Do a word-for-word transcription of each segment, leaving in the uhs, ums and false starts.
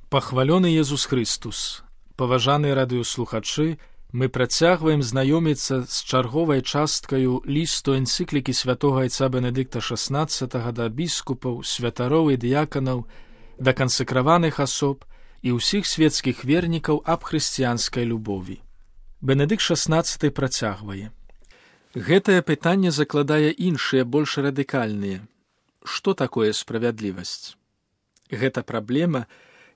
Пахвалёны Езус Христус! Паважаныя радыёслухачы, мы працягваем знаёміцца з чарговай часткаю лісту энцыклікі святога айца Бенедыкта шаснаццатага да біскупаў, святароў і дыяканаў, да кансакраваных асоб і ўсіх светскіх вернікаў аб хрысціянскай любові. Бенедыкт шаснаццаты працягвае. Гэтае пытанне закладае іншыя, больш радыкальныя. Што такое справядлівасць? Гэта праблема,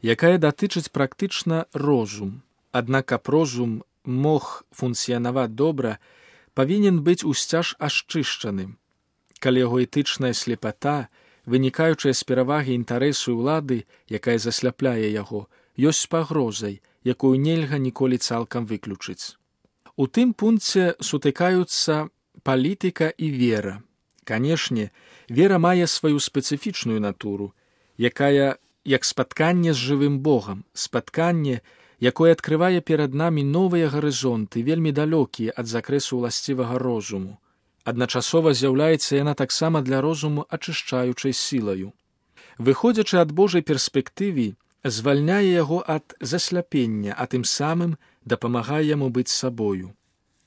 якая датычыць практычна розум. Аднак, каб розум мог функцыянаваць добра, павінен быць усцяж ашчышчаным. Калі яго этычная слепата, вынікаючая з перавагі інтарэсу ўлады, якая засляпляе яго, ёсць пагрозай, якую нельга ніколі цалкам выключыць. У тым пункце сутыкаюцца палітыка і вера. Канешне, вера мае сваю спецыфічную натуру, якая як спатканне з жывым Богам, спатканне, якое адкрывае перад намі новыя гарызонты, вельмі далёкія ад закрэсу ўласцівага розуму. Адначасова з'яўляецца яна таксама для розуму ачышчаючай сілаю. Выходзячы ад Божай перспектывы, звальняе яго ад засляпення, а тым самым дапамагае яму быць сабою.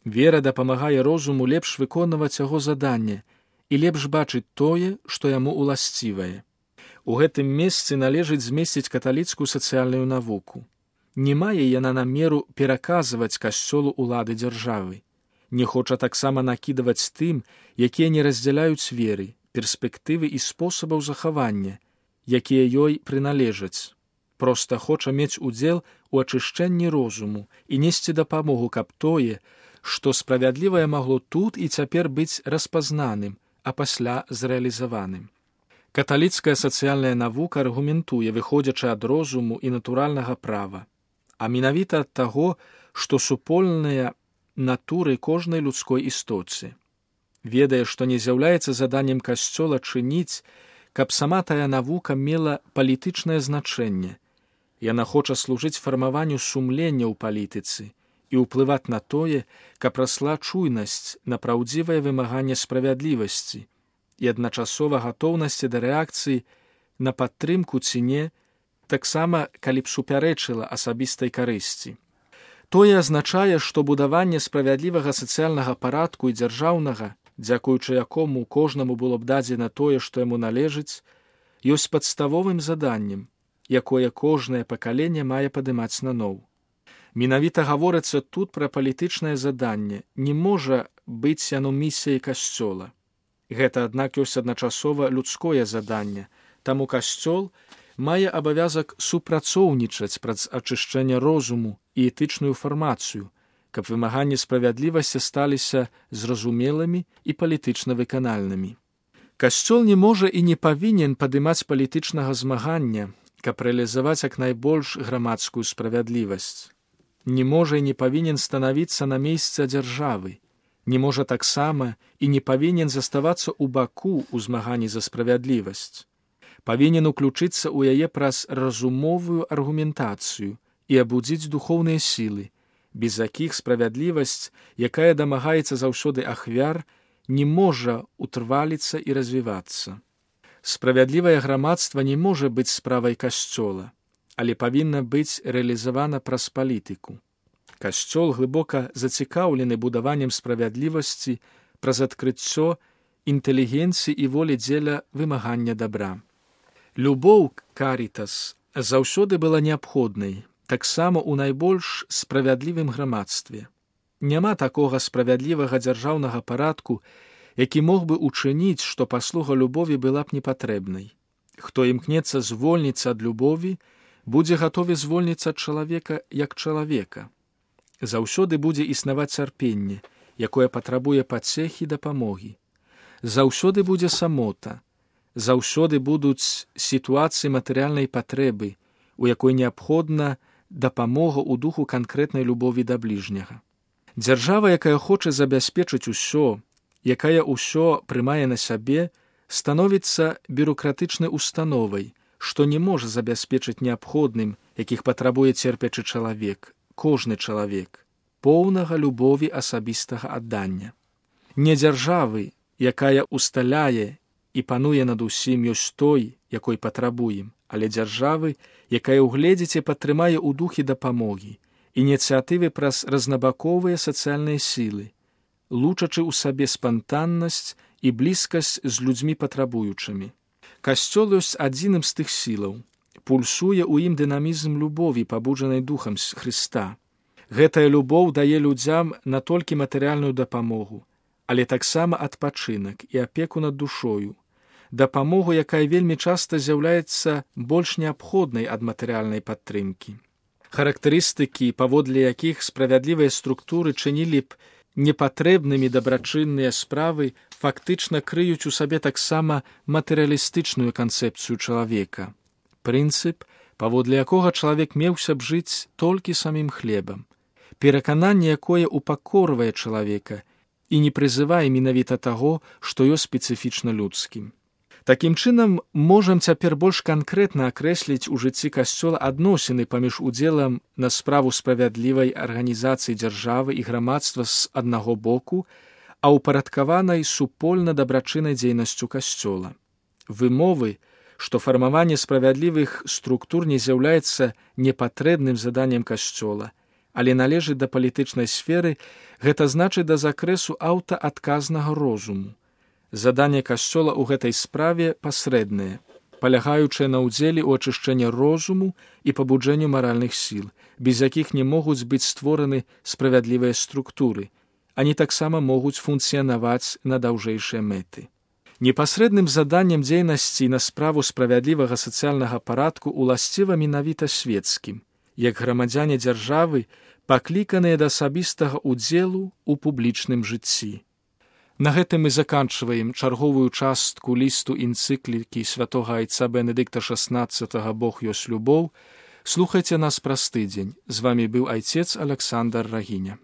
Вера дапамагае розуму лепш выконваць яго заданне і лепш бачыць тое, што яму уласцівае. У гэтым месцы належыць змесціць каталіцкую сацыяльную навуку. Не мае яна намеру пераказваць касцёлу ўлады дзяржавы. Не хоча таксама накідваць тым, якія не раздзяляюць веры, перспектывы і спосабаў захавання, якія ёй прыналежаць. Проста хоча мець удзел у ачышчэнні розуму і несці дапамогу, каб тое, што справядлівае магло тут і цяпер быць распазнаным, а пасля зрэалізаваным. Каталіцкая сацыяльная навука аргументуе, выходзячы ад розуму і натуральнага права, а менавіта ад таго, што супольныя натуры кожнай людской істоце. Ведае, што не з'яўляецца заданнем касцёла чыніць, каб сама тая навука мела палітычнае значэнне. Яна хоча служыць фармаванню сумлення ў палітыцы і ўплываць на тое, каб расла чуйнасць на праўдзівае вымаганне справядлівасці і адначасова гатоўнасці да рэакцыі на падтрымку ці не, таксама калі б супярэчыла асабістай карысці. Тое азначае, што будаванне справядлівага сацыяльнага парадку і дзяржаўнага, дзякуючы якому кожнаму было б дадзена тое, што яму належыць, ёсць падставовым заданнем, якое кожнае пакаленне мае падымаць наноў. Менавіта гаворыцца тут пра палітычнае заданне, не можа быць яно місіяй касцёла. Гэта, аднак, ёсць адначасова людское заданне, таму касцёл мае абавязак супрацоўнічаць праз ачышчэнне розуму і этычную фармацыю, каб вымаганні справядлівасці сталіся зразумелымі і палітычна выканальнымі. Касцёл не можа і не павінен падымаць палітычнага змагання, каб рэалізаваць як найбольш грамадскую справядлівасць. Не можа і не павінен станавіцца на месцы дзяржавы, не можа таксама і не павінен заставацца ў баку ў змаганні за справядлівасць. Павінен уключыцца ў яе праз разумовую аргументацыю і абудзіць духоўныя сілы, без якіх справядлівасць, якая дамагаецца заўсёды ахвяр, не можа утрваліцца і развівацца. Справядлівае грамадства не можа быць справай касцёла, але павінна быць рэалізавана праз палітыку. Касцёл глыбока зацікаўлены будаваннем справядлівасці праз адкрыццё інтэлігенцыі і волі дзеля вымагання дабра. Любоў, карітас, заўсёды была неабходнай, таксама ў найбольш справядлівым грамадстве. Няма такога справядлівага дзяржаўнага парадку, які мог бы учыніць, што паслуга любові была б непатрэбнай. Хто імкнецца звольніцца ад любові, будзе гатовы звольніцца ад чалавека як чалавека. Заўсёды будзе існаваць цярпенне, якое патрабуе пацехі дапамогі. Заўсёды будзе самота. Заўсёды будуць сітуацыі матэрыяльнай патрэбы, у якой неабходна дапамога ў духу канкрэтнай любові да бліжняга. Дзяржава, якая хоча забяспечыць усё, якая ўсё прымае на сябе, становіцца бюрократычнай установай, што не можа забяспечыць неабходным, якіх патрабуе церпячы чалавек, кожны чалавек, поўнага любові асабістага аддання. Не дзяржавы, якая усталяе і пануе над усім ёсць той, якой патрабуем, але дзяржавы, якая ўгледзіць і падтрымае ў духе дапамогі, ініцыятывы праз разнабаковыя сацыяльныя сілы, лучачы ў сабе спантаннасць і блізкасць з людзьмі патрабуючымі. Касцёл ёсць адзіным з тых сілаў. Пульсуе ў ім дынамізм любові, пабуджанай духам Хрыста. Гэтая любоў дае людзям не толькі матэрыяльную дапамогу, але таксама адпачынак і апеку над душою, дапамогу, якая вельмі часта з'яўляецца больш неабходнай ад матэрыяльнай падтрымкі. Характарыстыкі, паводле якіх справядлівыя структуры чынілі б непатрэбнымі дабрачынныя справы, фактычна крыюць у сабе таксама матэрыялістычную канцэпцыю чалавека. Прынцып, паводле якога чалавек меўся б жыць толькі самім хлебам, перакананне, якое упакорвае чалавека і не прызывае менавіта таго, што ёсць спецыфічна людскім. Такім чынам, можам цяпер больш канкрэтна акрэсліць у жыцці касцёла адносіны паміж удзелам на справу справядлівай арганізацыі дзяржавы і грамадства з аднаго боку, а ўпарадкаванай супольна-дабрачыннай дзейнасцю касцёла. Вымовы, што фармаванне справядлівых структур не з'яўляецца непатрэбным заданнем касцёла, але належыць да палітычнай сферы, гэта значыць да закрэсу аўтаадказнага розуму. Заданне касцёла ў гэтай справе пасрэднае, палягаючае на ўдзеле ў ачышчэнні розуму і пабуджэнню маральных сіл, без якіх не могуць быць створаны справядлівыя структуры, ані таксама могуць функцыянаваць на даўжэйшыя мэты. Непасрэдным заданнем дзейнасці на справу справядлівага сацыяльнага парадку уласціва менавіта свецкім, як грамадзяне дзяржавы, пакліканыя да асабістага ўдзелу ў публічным жыцці. На гэтым мы заканчваем чарговую частку лісту энцыклікі святога айца Бенедыкта шаснаццатага «Бог ёсць любоў». Слухайце нас праз тыдзень. З вамі быў айцец Аляксандр Рагіня.